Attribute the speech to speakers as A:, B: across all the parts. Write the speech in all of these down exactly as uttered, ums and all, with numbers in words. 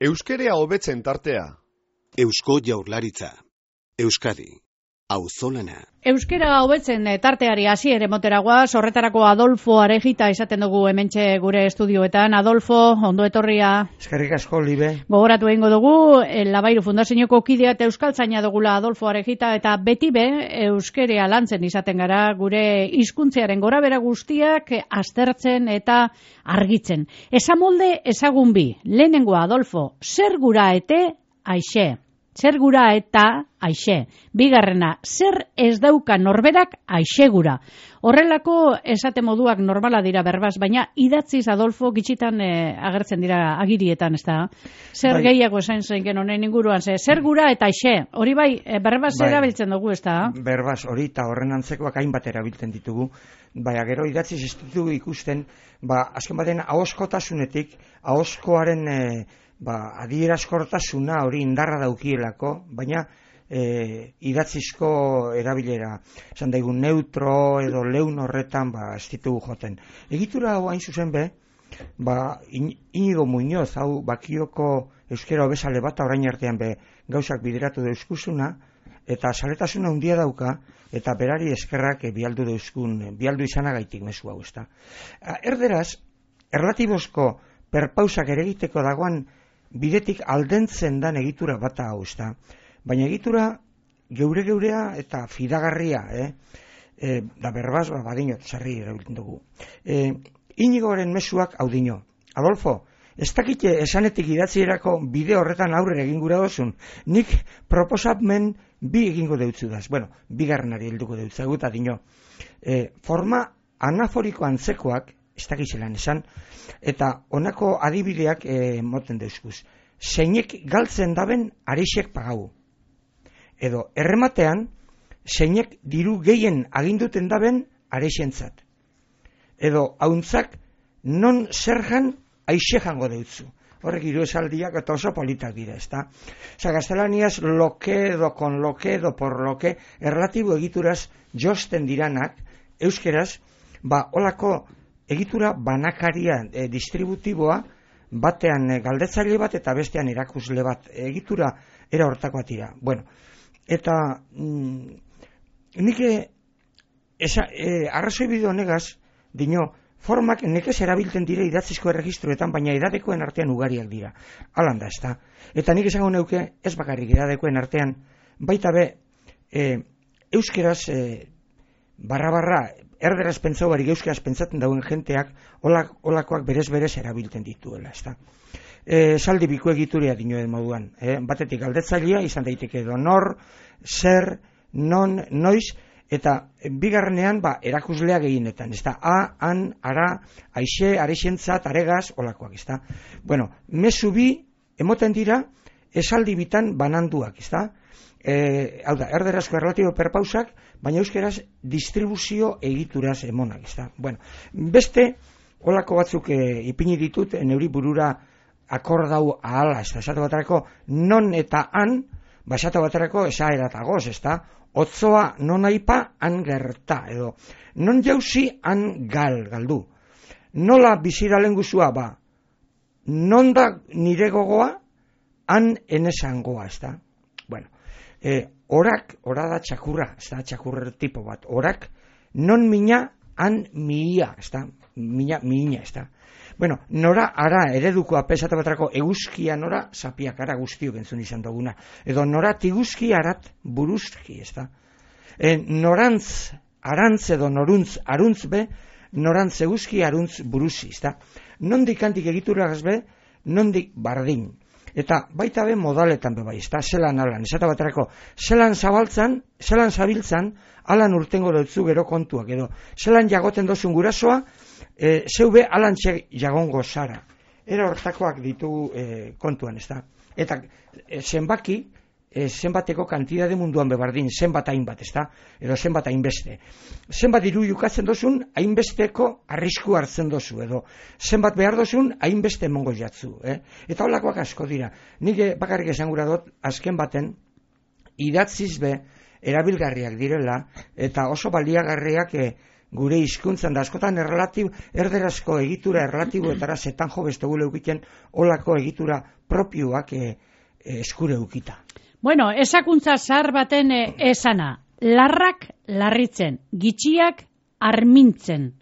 A: Euskerea hobetzen tartea.
B: Eusko Jaurlaritza. Euskadi. Auzolana.
C: Euskera hobetzen tarteari hasiere moteragoa, horretarako Adolfo Arejita izaten dugu hementxe gure estudioetan. Adolfo, ondo etorria.
D: Eskerrik asko, Libe.
C: Gogoratu egingo dugu, Labairu Fundazioko kidea eta euskaltzaina dugula Adolfo Arejita, eta beti be euskerea lantzen izaten gara, gure hizkuntzearen gorabera guztiak aztertzen eta argitzen. Esamolde ezagun bi, lehenengoa Adolfo, zer gura ete aixe. Zer gura eta aixe. Bigarrena, zer ez dauka norberak aixegura. Horrelako esate moduak normala dira berbaz, baina idatziz Adolfo gitxitan eh, agertzen dira agirietan, ez da? Zer bai. Gehiago esan zenken honen inguruan, ze, zer gura eta aixe. Hori bai, eh, berbaz bai. Erabiltzen dugu, ez da?
D: Berbaz, hori eta horren antzekoak hainbat erabiltzen ditugu. Baina gero idatziz ez ditugu ikusten, ba, azken baten ahoskotasunetik, ahoskoaren eh, ba, adierazkortasuna hori indarra daukielako, baina e, idatzizko erabilera, esan daigun neutro edo leun horretan ba, ez ditugu joten. Egitura hau hain zuzen be, ba, Inigo Muñoz, hau Bakioko euskera hobesale bat orain artean be gauzak bideratu deuskusuna, eta saletasuna handia dauka, eta berari eskerrak e, bialdu deuskun, bialdu izanagaitik mezu hau, ezta. Erderaz, erlatibozko perpausak ere egiteko dagoan bidetik aldentzen dan egitura bata hau, ezta. Baina egitura geure-geurea eta fidagarria, eh? E, da berbaz, ba, badinot, zarri erabiltzen dugu. E, Inigoren mezuak hau dino. Adolfo, ez dakite esanetik idatzierako bide horretan aurrera egin gura dozun. Nik proposamen bi egingo deutzudaz. Bueno, bigarrenari helduko deutzagu eta dino. E, forma anaforiko antzekoak, ez dakitzelan esan, eta honako adibideak e, moten deuzkuz. Zeinek galtzen daben arixek pagau. Edo errematean, zeinek diru gehien aginduten daben arixentzat. Edo hauntzak non zerjan aixe jango deutzu. Horrek hiru esaldiak eta oso politak dira, ezta? Osa, gaztelaniaz loke edo kon loke edo por loke erlatibo egituraz josten diranak, euskeraz, ba, olako egitura banakaria e, distributiboa batean e, galdetzaile bat eta bestean erakusle bat. Egitura era hortakoa tira. Bueno, eta mm, nik esa, e, arrazoi bide honegaz, dino, formak nekez erabiltzen dire idatzizko erregistroetan, baina edadekoen artean ugariak dira. Alanda, ez da. Eta nik esango neuke, ez bakarrik edadekoen artean, baita be, e, euskeraz e, barra-barra, erderaz pentsau barik euskeraz pentsatzen dauen jenteak olak, olakoak berez-berez erabiltzen dituela, ezta. E, saldi biku egituria dinoen moduan. E, batetik galdetzailea izan daiteke edo nor, zer, non, noiz, eta bigarrenean ba, erakuslea gehienetan, ezta. A, an, ara, aixe, arexentzat, aregaz, olakoak, ezta. Bueno, mezu bi emoten dira esaldi bitan bananduak, ezta. E, hau da, erderazko erlatibo perpausak, baina euskeraz distribuzio egituraz emonak, ezta. Bueno, beste olako batzuk e, ipini ditut neuri burura akordau ahala, ezta. Esate baterako non eta han, ba esate baterako esaeratagoz, ezta. Otzoa non aipa han gerta, edo non jauzi han gal, galdu. Nola bizira lenguzua, ba, non da nire gogoa han enesangoa, ezta. Bueno, E, orak, ora da txakurra, ez da txakurrer tipo bat, orak, non mina, han miia, ez da, mina, miina, ez da. Bueno, nora ara ereduko apesate batrako eguzkia nora, sapiak ara guztiok entzun izan duguna, edo nora tiguzki arat buruzki, ez da. E, norantz, arantz edo noruntz, aruntz be, norantz eguzki aruntz buruzi, ez da. Nondik antik egituragaz be, nondik bardin. Eta baita be modaletan be bai, ezta, zelan alan, esata baterako, zelan zabaltzan, zelan zabiltzan, alan urtengo dutzu gero kontuak, edo, zelan jagoten dozun gurasoa, e, zeube alan txeg jagongo zara. Era hortakoak ditugu e, kontuan, ezta. Eta e, zenbaki, e, zenbateko kantidade munduan bebardin, zenbat hainbat, ezta, edo zenbat hainbeste. Zenbat diru jukatzen dozun, hainbesteko arrisku hartzen dozu, edo zenbat behar dozun, hainbeste emongo jatzu. Eh? Eta holakoak asko dira. Nik bakarrik esan gura dut, azken baten, idatziz be, erabilgarriak direla, eta oso baliagarriak e, gure hizkuntzan da askotan erlatibo, erderazko egitura erlatiboetara zetan jo beste gule eukiten olako egitura propioak e, e, eskure eukita.
C: Bueno, esakuntza zahar baten e, esana, larrak larritzen, gitxiak armintzen.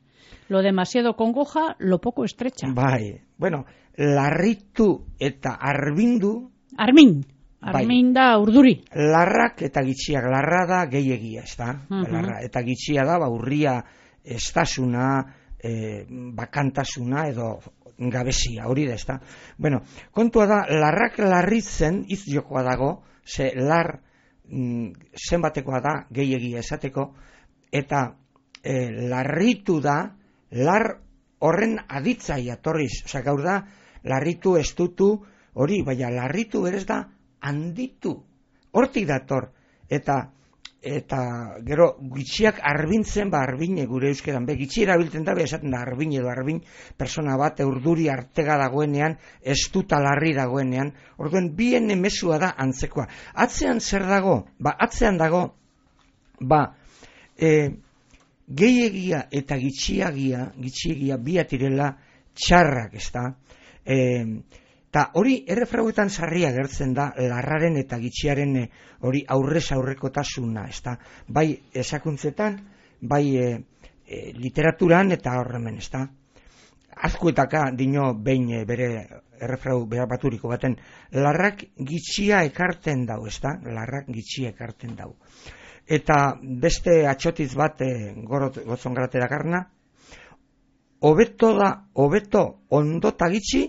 C: Lo demasiado congoja, lo poco estrecha.
D: Bai, bueno, larritu eta arbindu...
C: Armin, armin da urduri.
D: Larrak eta gitxiak, larra da gehiagia, ez da? Uh -huh. Larra, eta gitxia da, ba, urria estasuna, e, bakantasuna edo gabezia, hori da, ez da? Bueno, kontua da, larrak larritzen, iz jokoa dago, ze lar mm, zenbatekoa da, gehiagia esateko, eta e, larritu da, lar horren aditzai atorriz, osea, gaur da, larritu, estutu, hori, baina larritu berez da, handitu, hortik dator, eta eta gero gitxiak arbintzen, ba arbine gure euskeran, be gitxi erabiltzen da, be esaten da arbin edo arbin, persona bat urduri artega dagoenean, estuta larri dagoenean, orduen bien emezua da antzekoa. Atzean zer dago? Ba, atzean dago, ba, e, gehiegia eta gitxiagia, gitxiegia biatirela txarrak, ez da? Eta hori errefrauetan sarria gertzen da, larraren eta gitxiaren e, hori aurrez aurrekotasuna, ez da? Bai esakuntzetan, bai e, e, literaturan eta horremen, ez da? Azkuetaka dino behin e, bere errefrau behar baturiko baten, larrak gitxia ekarten dau, ez da? Larrak gitxia ekarten dau. Eta beste atxotiz bat e, gotzon garate dakarna, hobeto da, hobeto ondota gitxi,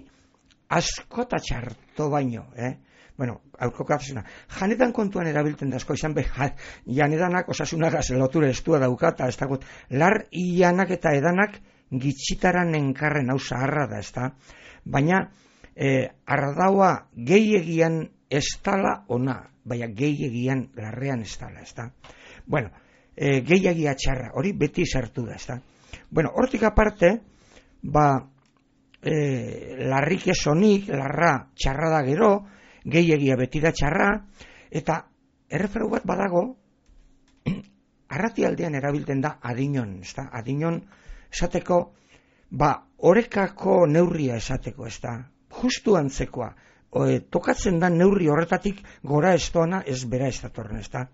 D: askota txarto baino, eh? Bueno, aurkokazuna. Janetan kontuan erabiltzen dazko, izan be, ja, janedanak osasunagaz lotura estua daukata, ez dago, lar ianak eta edanak gitxitaran enkarren hau zaharra da, ez da? Baina, eh, ardaua gehiegian estala ona, baina gehiegian larrean estala, ez da? Bueno, eh, gehiegia txarra, hori beti sartu da, ez da? Bueno, hortik aparte, ba, E, larrik esonik, larra txarra da gero, gehiegia beti da txarra, eta erreferu bat badago, arratialdean erabiltzen da adinon, ez da? Adinon esateko, ba, orekako neurria esateko, ez da? Justu antzekoa, o, e, tokatzen da neurri horretatik gora ez doana ez bera ez datorren, ez da?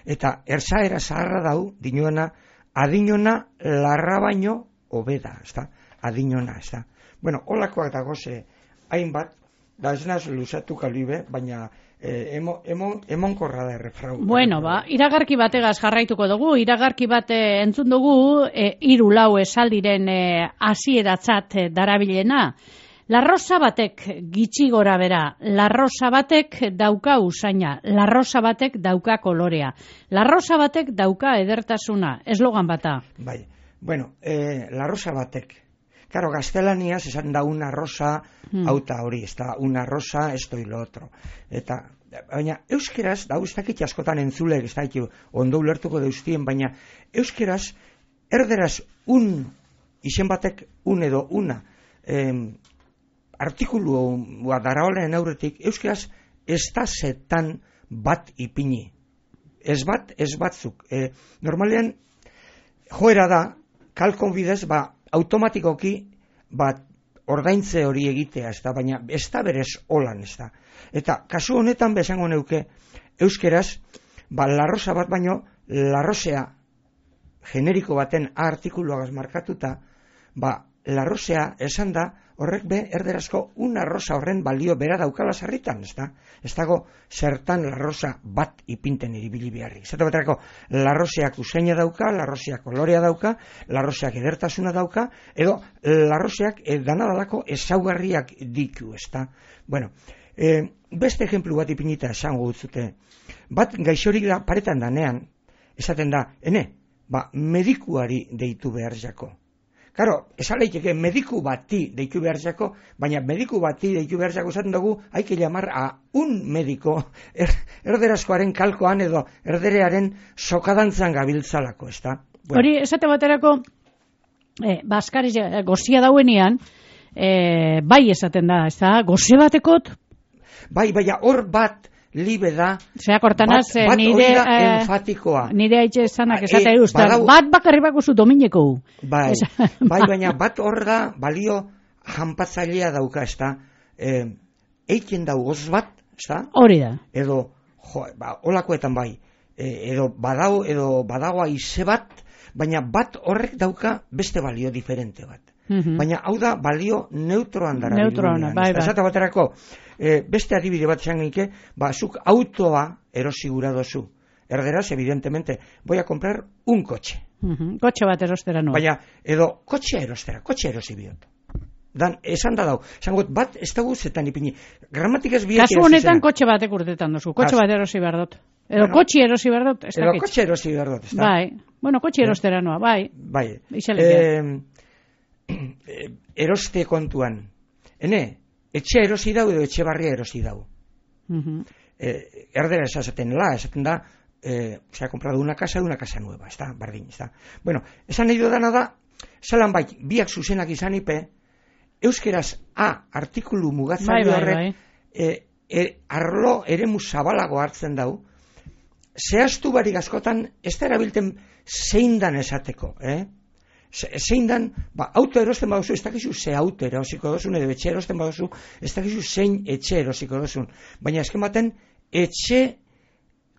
D: Eta erzaera zaharra dau, dinoena, adinona larra baino hobeda, ez da? Adinona, ez da? Bueno, holakoak dagoze hainbat, da ez naz luzatu kalibe, baina eh, emo, emo, emonkorra da errefrau.
C: Bueno, ba, iragarki bategaz jarraituko dugu, iragarki bate entzun dugu, e, hiru lau esaldiren e, hasieratzat e, darabilena. Larrosa batek gitxi gora bera, larrosa batek dauka usaina, larrosa batek dauka kolorea, larrosa batek dauka edertasuna, eslogan bata.
D: Bai, bueno, eh, larrosa batek. Claro, gaztelaniaz esan da una rosa, hmm. auta hori, ez da una rosa, esto y lo otro. Eta, baina, euskeraz, da ez dakit askotan entzule, ez dakit ondo ulertuko deustien, baina euskeraz, erderaz un, izen batek un edo una, eh, artikulu daraolen aurretik, euskeraz, ez da zetan bat ipini. Ez bat, ez batzuk. Eh, normalean, joera da, kalkon bidez, ba, automatikoki bat ordaintze hori egitea, ez da, baina ez da berez holan, ez da. Eta kasu honetan besango neuke euskeraz, ba, larrosa bat baino, larrosea generiko baten A artikuluagaz markatuta, ba, larrosea esan da, horrek be, erderazko una rosa horren balio bera daukala sarritan, ez da? Ez dago zertan larrosa bat ipinten iribili beharrik. Zato baterako, larroseak usaina dauka, larroseak kolorea dauka, larroseak edertasuna dauka, edo larroseak danadalako ezaugarriak ditu, ez da? Bueno, e, beste ejemplu bat ipinita esango gutzute. Bat gaixorik da paretan danean, esaten da, ene, ba, medikuari deitu behar jako. Karo, esan leiteke mediku bati deitu behar jako, baina mediku bati deitu behar jako esaten dugu, haike llamar a un mediko er, erderazkoaren kalkoan edo erderearen sokadantzan gabiltzalako, ez da?
C: Bueno. Hori, esate baterako, eh, baskari gozia dauenean, eh, bai esaten da, ez da, goze batekot?
D: Bai, baina hor bat, libe da.
C: Zea kortanaz,
D: bat, bat
C: nire...
D: hori da
C: eh,
D: enfatikoa.
C: Nire haitxe esanak
D: E,
C: esate eustan,
D: badau-
C: bat bakarri bakuzu domineko.
D: Bai, bai, baina bat hor da balio janpatzailea dauka, ez da. Eh, eiken dau goz bat, ez da.
C: Hori da.
D: Edo, jo, ba, olakoetan bai, e, edo badau, edo badagoa ize bat, baina bat horrek dauka beste balio diferente bat.
C: Mhm.
D: Baina hau da balio neutroan dara.
C: Neutroana, bai, bai.
D: Esate baterako, e, beste adibide bat izan genike, ba, zuk autoa erosi gura dozu. Erderaz, evidentemente, voy a comprar un coche.
C: Mhm. Kotxe bat erostera noa.
D: Baina, edo, kotxea erostera, kotxea erosi biot. Dan, esan da dau, esan got, bat ez dago zetan ipini. Gramatikaz biak
C: Kasu honetan kotxe batek urtetan duzu, kotxe
D: Kasu-
C: bat erosi behar dut. Edo
D: Bueno,
C: kotxe erosi behar dut, ez
D: Edo
C: dakit.
D: kotxe erosi behar dut, ez da?
C: Bai, bueno, kotxe erostera noa, bai.
D: Bai.
C: Ixelekia.
D: Eh, eroste kontuan. Ene, etxe erosi dau edo etxe barria erosi dau.
C: Mhm.
D: Eh, erdera esaten la, esaten da, eh, se ha comprado una casa de una casa nueva, está, bardin, está. Bueno, esan nahi dudana da, zalan bai, biak zuzenak izan ipe, euskeraz A artikulu mugatzaile
C: Bai, bai,
D: horrek,
C: bai.
D: e, e, arlo eremu zabalago hartzen dau, zehaztu barik askotan, ez da erabilten zein dan esateko, eh? Ze- Zein dan, ba, auto erosten baduzu, ez dakizu ze auto erosiko dozun, edo etxe erosten baduzu, ez dakizu zein etxe erosiko dozun. Baina azken baten, etxe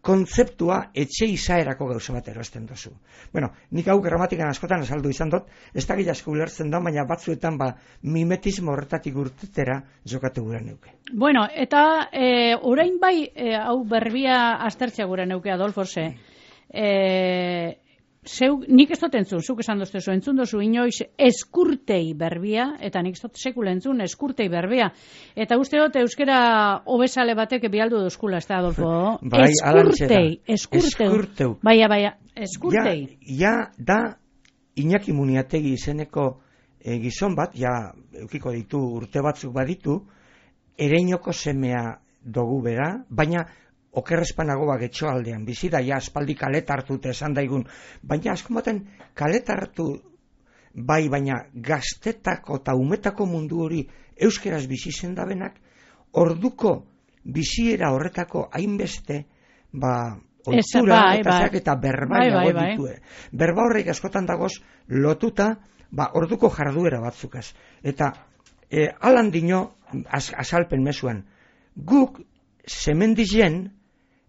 D: kontzeptua, etxe izaerako gauza bat erosten dozu. Bueno, nik hau gramatikan askotan azaldu izan dut, ez dakit asko ulertzen da, baina batzuetan ba, mimetismo horretatik urtetera jokatu gura neuke.
C: Bueno, eta e, orain bai, e, hau berbia aztertzea gure neuke, Adolfo, ze. E, zeu, nik ez dut entzun, zuk esan doztezu, entzun dozu inoiz eskurtei berbia, eta nik ez dut sekula entzun eskurtei berbia. Eta uste dut euskera hobesale batek bialdu dozkula, ez da, Adolfo?
D: Bai, alantxe da.
C: eskurtei, eskurteu.
D: Eskurteu.
C: Baina, baina, eskurtei.
D: Ja, ja da Iñaki Muniategi izeneko e, gizon bat, ja eukiko ditu urte batzuk baditu, ereinoko semea dugu bera, baina okerrezpanago bak etxoaldean bizi da, ja aspaldi kalet hartute esan daigun, baina asko baten kalet hartu bai, baina gaztetako eta umetako mundu hori euskeraz bizi zendabenak, orduko biziera horretako hainbeste, ba, oitura
C: bai,
D: eta
C: bai.
D: zeak eta berba
C: Bai,
D: nago
C: bai, bai.
D: ditue. Berba horrek askotan dagoz lotuta, ba, orduko jarduera batzukaz. Eta e, alan dino, az, azalpen mezuan, guk zemendizen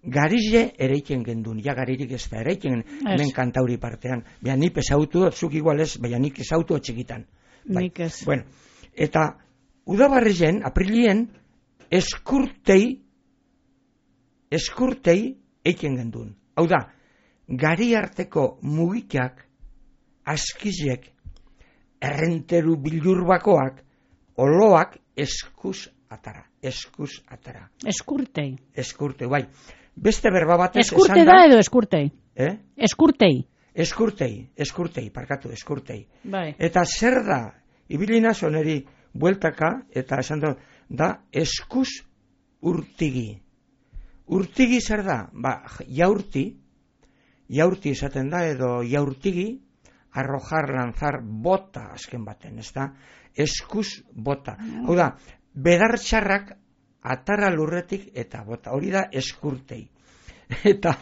D: garize ereiken gendun, ja garirik ez da ereiken hemen kantauri partean. Baina nik ezautu, zuk igual ez, baina nik ezautu txikitan. Bai.
C: Nik ez.
D: Bueno, eta udabarrizen, aprilien, eskurtei, eskurtei eiken gendun. Hau da, gari arteko mugikak, askizek, errenteru bilurbakoak, oloak eskuz atara, eskuz atara.
C: Eskurtei.
D: Eskurtei, bai. Beste berba batez
C: Eskurte
D: esan
C: da edo eskurtei?
D: Eh?
C: Eskurtei.
D: Eskurtei, eskurtei, parkatu, eskurtei.
C: Bai.
D: Eta zer da, ibilina zoneri bueltaka, eta esan da, da eskuz urtigi. Urtigi zer da? Ba, jaurti, jaurti esaten da, edo jaurtigi, arrojar, lanzar, bota azken baten, ez da? Eskuz bota. Hau da, bedartxarrak atara lurretik eta bota. Hori da eskurtei. Eta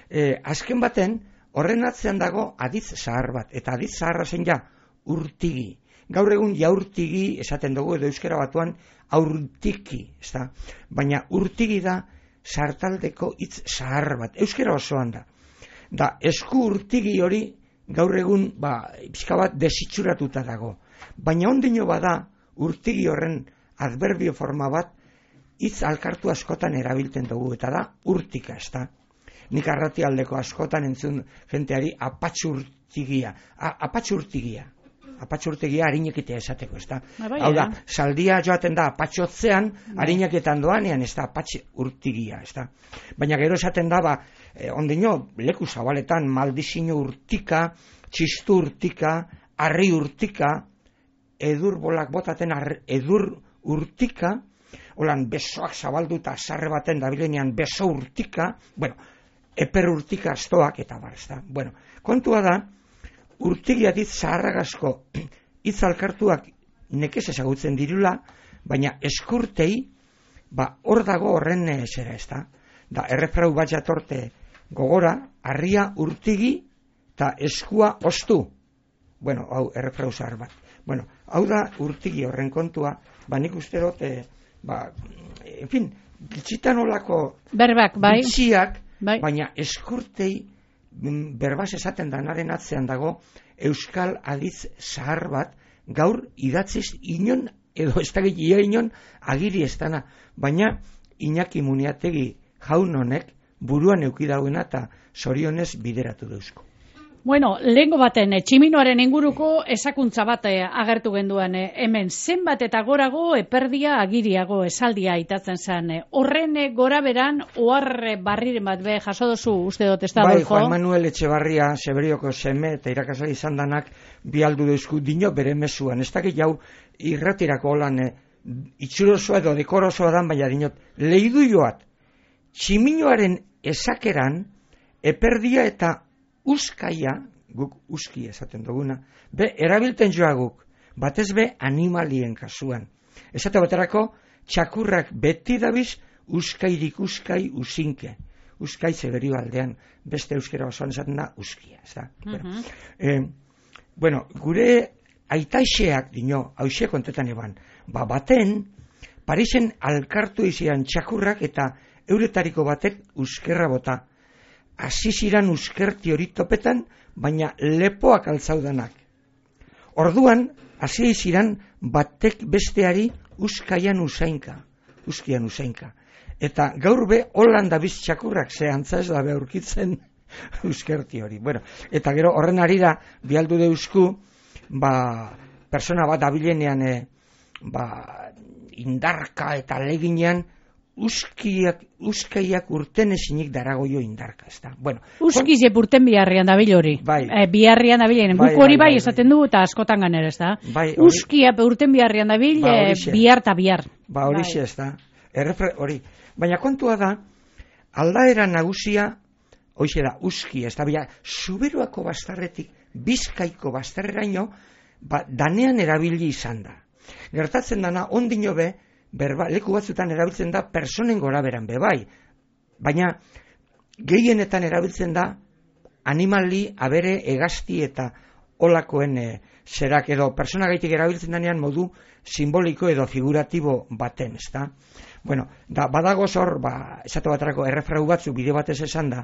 D: eh, azken baten, horren atzean dago aditz zahar bat. Eta aditz zaharra zen ja, urtigi. Gaur egun jaurtigi esaten dugu, edo euskera batuan aurtiki, ez da? Baina urtigi da sartaldeko hitz zahar bat. Euskera osoan da. Da, esku urtigi hori gaur egun, ba, pixka bat desitxuratuta dago. Baina ondino bada, urtigi horren adverbio forma bat, hitz alkartu askotan erabiltzen dugu, eta da urtika, ez da? Nik arratialdeko askotan entzun jenteari apatxurtigia, A, apatxurtigia, apatxurtigia harinekitea esateko, ez da?
C: Bai,
D: Hau da,
C: eh?
D: saldia joaten da apatxotzean, harineketan doanean, ez da, apatxurtigia, ez da? Baina gero esaten da, ba, eh, ondino, leku zabaletan, maldizino urtika, txistu urtika, harri urtika, edur bolak botaten ar, edur urtika, holan besoak zabalduta sarre baten dabilenean beso urtika, bueno, eper urtika astoak eta bar, ez da. Bueno, kontua da, urtigia dit zaharragazko hitz alkartuak nekez ezagutzen dirula, baina eskurtei, ba, hor dago horren zera, ez da. da errefrau bat jatorte gogora, harria urtigi eta eskua ostu. Bueno, hau errefrau zahar bat. Bueno, hau da urtigi horren kontua, ba nik uste dut, e, ba, en fin, gitxitan olako
C: berbak, bai.
D: bitxiak,
C: bai.
D: baina eskurtei berbaz esaten danaren atzean dago euskal aditz zahar bat, gaur idatziz inon, edo ez da gehiago inon, agiri ez dana, baina Iñaki Muniategi jaun honek buruan eukidauena eta zorionez bideratu dauzko.
C: Bueno, lehengo baten, tximinoaren inguruko esakuntza bat agertu genduan, hemen zenbat eta gorago eperdia agiriago esaldia itatzen zen. Horren gora beran, oar barriren bat be jaso dozu uste dut, ez da,
D: Bai,
C: Adolfo?
D: Juan Manuel Etxebarria, Seberioko seme eta irakasle izan danak bialdu deuzku dino bere mezuan. Ez dakit jau irratirako holan e, itxurosoa edo dekorosoa dan, baina dinot, lehidu joat, tximinoaren esakeran eperdia eta uskaia, guk uski esaten duguna, be, erabilten joa guk, batez be animalien kasuan. Esate baterako, txakurrak beti dabiz, uskairik uskai usinke. Uskai Zeberio aldean, beste euskera osoan esaten da, uskia. Ez da?
C: Uh-huh.
D: bueno, eh, bueno, gure aitaixeak, dino, hauxe kontetan eban, ba, baten, Parisen alkartu izian txakurrak eta euretariko batek uskerra bota. Hasi ziran uskerti hori topetan, baina lepoak altzaudanak. Orduan, hasi ziran batek besteari uskaian usainka, uskian usainka. Eta gaur be, holan dabiz txakurrak, ze antza ez da be aurkitzen uskerti hori. Bueno, eta gero horren arira, bialdu deusku, ba, persona bat abilenean, e, ba, indarka eta leginean, Uskiak, uskaiak urten esinik daragoio indarka, ez da. Bueno,
C: Uskiz epurten biharrian dabil hori.
D: Bai.
C: E, biharrian dabilen.
D: Bai,
C: Guk hori
D: bai,
C: bai,
D: bai,
C: esaten du eta askotan ganer, ez da.
D: Bai, hori-
C: Uskia urten biharrian dabil,
D: Ba,
C: e,
D: horixe.
C: bihar eta bihar.
D: Ba, hori
C: Bai.
D: ez da. Errefre, hori. Baina kontua da, aldaera nagusia, hoize da, uski, ez da, bila, Zuberoako bastarretik, Bizkaiko bastarreraino, ba, danean erabili izan da. Gertatzen dana, ondino be, berba, leku batzutan erabiltzen da, personen goraberan be, bai. Baina, gehienetan erabiltzen da, animali, abere, egazti eta olakoen e, zerak edo persona gaitik erabiltzen danean modu simboliko edo figuratibo baten, ez da? Bueno, da, badago zor, ba, esate baterako errefrau batzu bide batez esan da,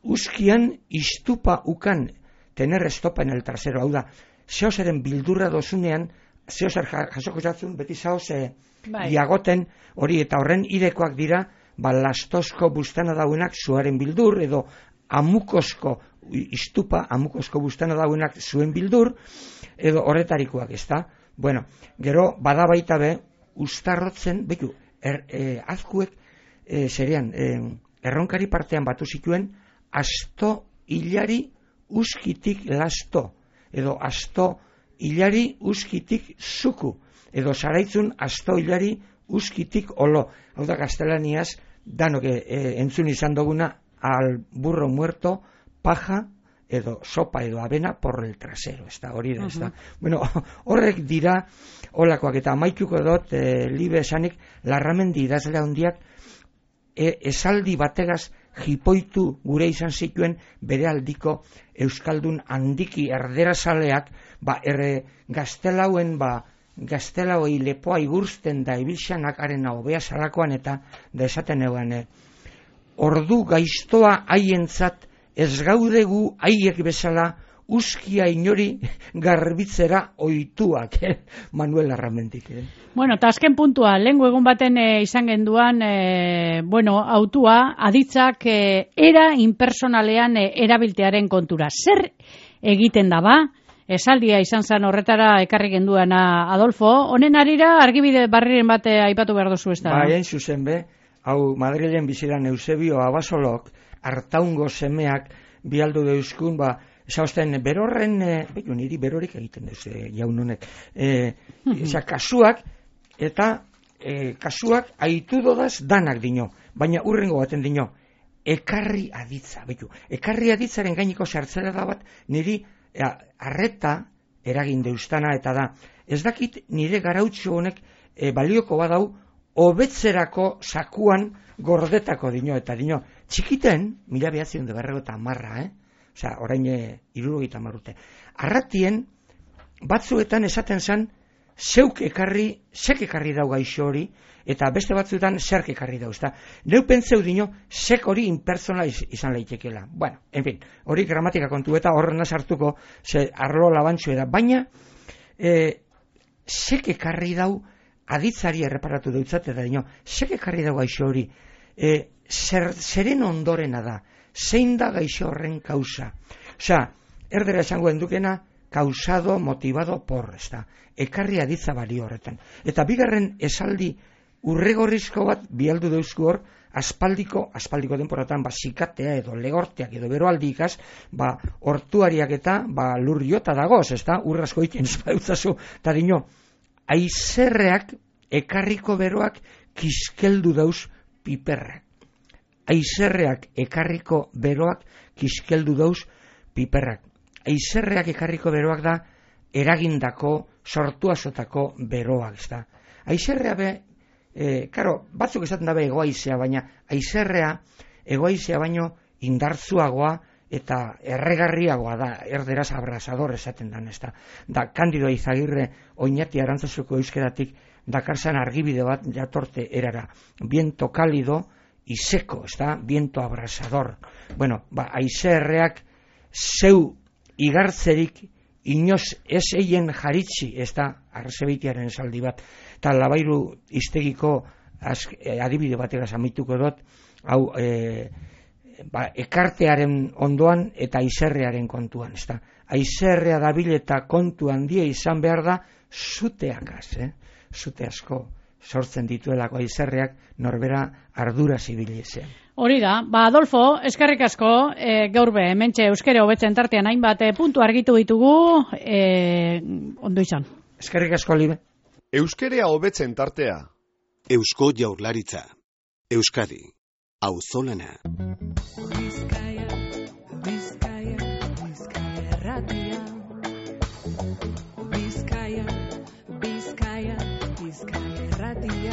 D: uskian istupa ukan tener estopa en el trasero, hau da, zeozeren bildurra dozunean, zeozer jasoko jatzun, beti zaoz e,
C: Bai.
D: diagoten hori, eta horren idekoak dira, ba, lastozko bustana dauenak zuaren bildur, edo amukosko istupa, amukosko bustana dauenak zuen bildur, edo horretarikoak, ez da? Bueno, gero, bada baita be, ustarrotzen, beku, er, e, azkuek, e, zerean, e, erronkari partean batu zituen, asto hilari uskitik lasto, edo asto hilari uskitik zuku, edo zaraitzun asto hilari uskitik olo. Hau da gaztelaniaz, danok e, entzun izan duguna, al burro muerto, paja, edo sopa edo avena por el trasero, ez da, hori da, ez da. Uh-huh. Bueno, horrek dira, olakoak, eta amaituko dut, e, libe esanik, Larramendi idazle handiak, e, esaldi bategaz jipoitu gure izan zituen bere aldiko euskaldun handiki erderazaleak, ba, erre gaztelauen, ba, gaztelauei lepoa igursten da ibilxanak arena hobea salakoan, eta da esaten eguan, e, ordu gaiztoa haientzat ez gaudegu haiek bezala uskia inori garbitzera oituak, eh? Manuel Larramendik. Eh?
C: Bueno, eta azken puntua, lehengo egun baten e, izan genduan, e, bueno, autua, aditzak e, era impersonalean e, erabiltearen kontura. Zer egiten da ba? Esaldia izan zen horretara ekarri genduana Adolfo. Honen arira argibide barriren bate aipatu behar duzu ez da?
D: Ba, egin zuzen be, hau Madrilen biziran Eusebio Abasolok, Artaungo semeak bialdu deuzkun, ba, esauzten, berorren, e, behu, niri berorik egiten duz, e, jaun honek, e, eza, kasuak, eta e, kasuak aitu dodaz danak dino, baina urrengo baten dino, ekarri aditza, behu, ekarri aditzaren gainiko sartzera da bat, niri e, arreta eragin deustana, eta da, ez dakit nire garautxo honek e, balioko badau, hobetzerako sakuan gordetako dino, eta dino, txikiten, mila behatzion de berrego eta marra, eh? Osea, orain hirurogeita hamar urte. Arratien, batzuetan esaten zen, zeuk ekarri, zek ekarri dau gaixo hori, eta beste batzuetan zerk ekarri dau, ezta? Neu pentseu dino, zek hori impersonala izan leitekela. Bueno, en fin, hori gramatika kontu eta horrena sartuko, ze arlo labantxo da, baina, e, zek ekarri dau, aditzari erreparatu dutzat, eta dino, zek ekarri dau gaixo hori, e, zer, zeren ondorena da, zein da gaixo horren kausa. Osea, erdera esango endukena, causado, motivado por, ez da, ekarri aditza bali horretan. Eta bigarren esaldi urregorrizko bat bialdu deuzku hor, aspaldiko, aspaldiko denporatan, ba, sikatea edo legorteak edo beroaldikaz, ba, hortuariak eta, ba, lurriota dagoz, ez da, urrasko iten espautzazu, eta dino, aizerreak ekarriko beroak kiskeldu dauz piperrak. Aizerreak ekarriko beroak kiskeldu dauz piperrak. Aizerreak ekarriko beroak da eragindako, sortuazotako beroak, ez da. Aizerrea be, e, karo, batzuk esaten dabe egoaizea, baina aizerrea egoaizea baino indartzuagoa eta erregarriagoa da, erderaz abrasador esaten dan, ez da. Da, Kandido Izagirre Oñati Arantzazuko euskeratik dakarzan argibide bat jatorte erara. Viento cálido y seco, ez da, viento abrasador. Bueno, ba, aizerreak zeu igartzerik inoz ez eien jaritzi, ez da, arzebeitiaren esaldi bat, eta Labairu iztegiko az, e, adibide batera amituko dut, hau, e, ba, ekartearen ondoan eta aizerrearen kontuan, ez da. Aizerrea dabil eta kontu handia izan behar da, zuteakaz, eh? Zute asko sortzen dituelako aizerreak norbera ardura zibilizean.
C: Hori da, ba Adolfo, eskerrik asko, e, gaur be, hementxe euskera hobetzen tartean hainbat e, puntu argitu ditugu, e, ondo izan.
D: Eskerrik asko, Libe.
A: Euskera hobetzen tartea.
B: Eusko Jaurlaritza. Euskadi. Auzolana.
E: Bizkaia, Bizkaia, Bizkaia erratia. Bizkaia, Bizkaia, Bizkaia erratia.